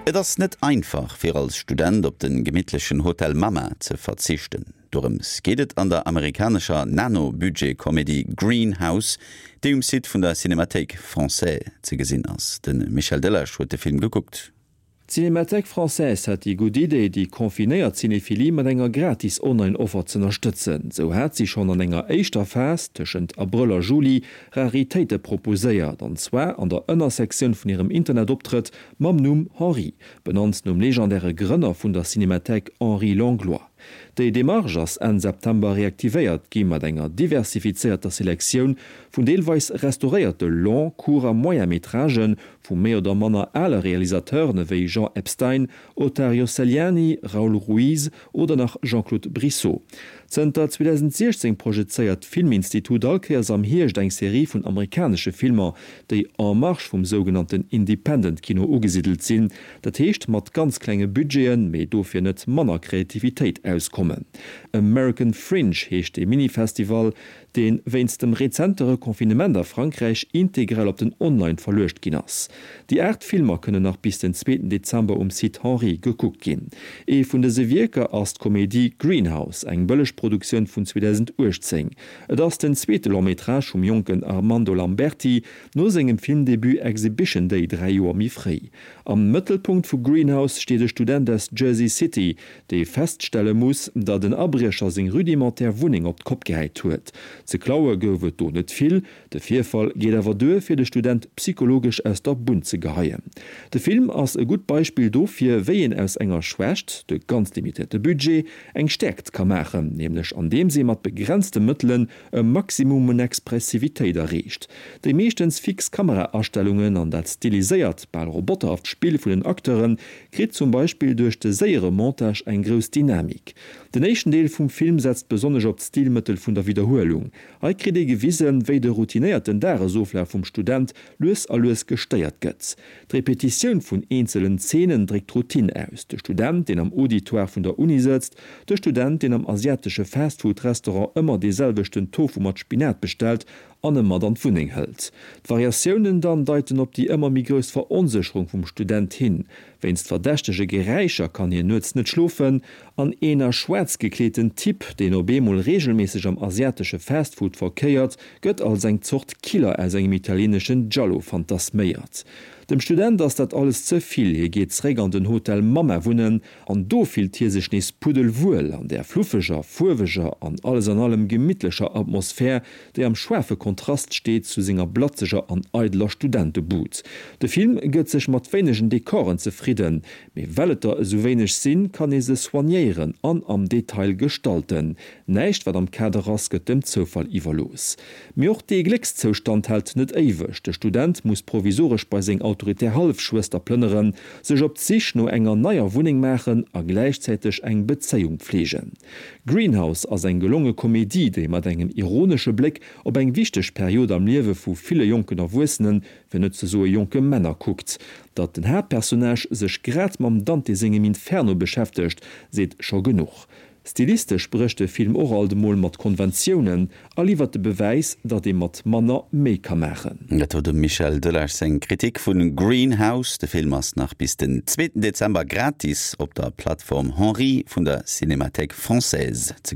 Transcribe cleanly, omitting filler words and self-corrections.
Et ass net einfach, fir als Student op de gemittlechen Hotel Mama ze verzichten. Dorëms geet et an der amerikanescher Nano-Budget-Komedie Green House, déi um Site vun der Cinémathèque Française ze gesinn ass. De Michel Delage huet de Film gekuckt. D'Cinémathèque Française hat déi gutt Idee, déi confinéiert Cinéphilie mat enger gratis Online-Offer z'ënnerstëtzen. Sou hat si schonn an enger éischter Phas, tëschent Abrëll a Juli, Raritéite proposéiert, an zwar an der Ënnersektioun vun hirem Internetoptrëtt mam Numm Henri, benannt nom legendäre Grënner vun der Cinémathèque Henri Langlois. Déi Demarche ass Enn September reaktivéiert gi mat enger diversifizéierter Selektioun vun deelweis restauréierte Long-, Court a Moyen-métragen Vu méi oder manner ale Realisateuren ewéi Jean Epstein, Ottario Seliani, Raoul Ruiz oder nach Jean-Claude Brissot. Zënter 2016 projezéiert d'Filminstitut all Kéiers am Hierscht eng Serie vun amerikanesche Filmer, déi en marge vum sougenannten Independent-Kino ugesiddelt sinn, dat heescht mat ganz klenge Budgeten, mee dofir net manner Kreativitéit auskommen. American Fringe heescht dee Mini-Festival, deen wéinst dem rezente Reconfinement a Frankräich integral op den Online verluecht ginn ass. Déi 8 Filmer kënnen nach bis den zweeten Dezember um Site Henri gekuckt ginn. Ee vun dëse Wierker ass d'Komedie Greenhouse, eng bëlleg Produktioun vun 2018. Et ass den zweete Long-métrage vum jonken Armando Lamberti, no sengem Filmdebut Exhibition Day 3 Joer méi fréi. Am Mëttelpunkt vu Greenhouse steet e Student aus Jersey City, dee feststelle muss, datt en Abriecher seng rudimentär Wunneng op d'Kopp gehäit huet. Ze klaue gouf et do net vill, de Virfall geet awer duer, fir de Student psychologesch aus der Bunn ze geheien. De Film ass e gutt Beispill dofir, wéi een aus enger Schwächt, de ganz limitéierte Budget, eng Stäerkt ka maachen, nämlech andeems ee mat begrenzte Mëttelen e Maximum un Expressivitéit erreecht. Déi meeschtens fix Kamera-Astellungen an dat stiliséiert, bal roboterhaft Spill vun den Acteure kritt zum Beispill duerch de séiere Montage eng grouss Dynamik. Den éischten Deel vum Film setzt besonnesch op d'Stilmëttel vun der Widderhuelung. Hei kritt ee gewisen, wéi de routinéierten Dagesoflaf vum Student lues a lues gestéiert gëtt. D'Repetitioun vun eenzelen Zeenen dréckt d'Routine aus, de Student, deen am Auditoire vun der Uni sëtzt, de Student, deen am asiatesche Fastfood-Restaurant ëmmer dee selwechten Tofu mat Spinat bestellt an e mat an d'Wunneng hëlt. D'Variatiounen dann deiten op déi ëmmer méi grouss Veronsécherung vum Student hin. Wéinst verdächtege Geräischer kann hien nuets net schlofen an een a schwaarz gekleeten Typ, deen op eemol reegelméisseg am asiatesche Fastfood verkéiert, gëtt als eng Zort Killer aus engem italieeneschen Giallo fantasméiert. Dem Student ass dat alles ze vill, hie geet zeréck an den Hotel Mamma wunnen An do fillt hie sech nees puddelwuel an där fluffeger, fuerweger an alles an allem gemittlecher Atmosphär, déi am schaarfe Kontrast steet zu senger blatzeger an eideler Studentebud. De Film gëtt sech mat wéinegen Dekoren zefridden, mee well et der esou wéineg sinn, kann ee se soignéieren an am Detail gestalten. Näischt wat am Kader ass, gëtt dem Zoufall iwwerlooss. Mee och dee Gléckszoustand hält net éiweg. De Student muss provisoresch bei seng autoritär Hallefschwëster plënneren, sech op d'Sich no enger neier Wunneng maachen a gläichzäiteg eng Bezéiung pfleegen. Greenhouse ass eng gelonge Komedie, déi mat engem ironesche Bléck op eng wichteg Period am Liewe vu ville jonken Erwuessenen, fir net ze soe jonke Männer, kuckt. Datt den Haaptpersonnage sech grad mam Dante sengem Inferno beschäftegt, seet scho genuch. Stilistesch brécht de Film och alt emol mat Konventiounen a liwwert de Bewäis, datt ee mat manner méi ka maachen. Dat wor dem Michel Delage seng Kritik vu Greenhouse. De Film ass nach bis den zweeten Dezember gratis op der Plattform Henri vun der Cinémathèque Française ze gesinn.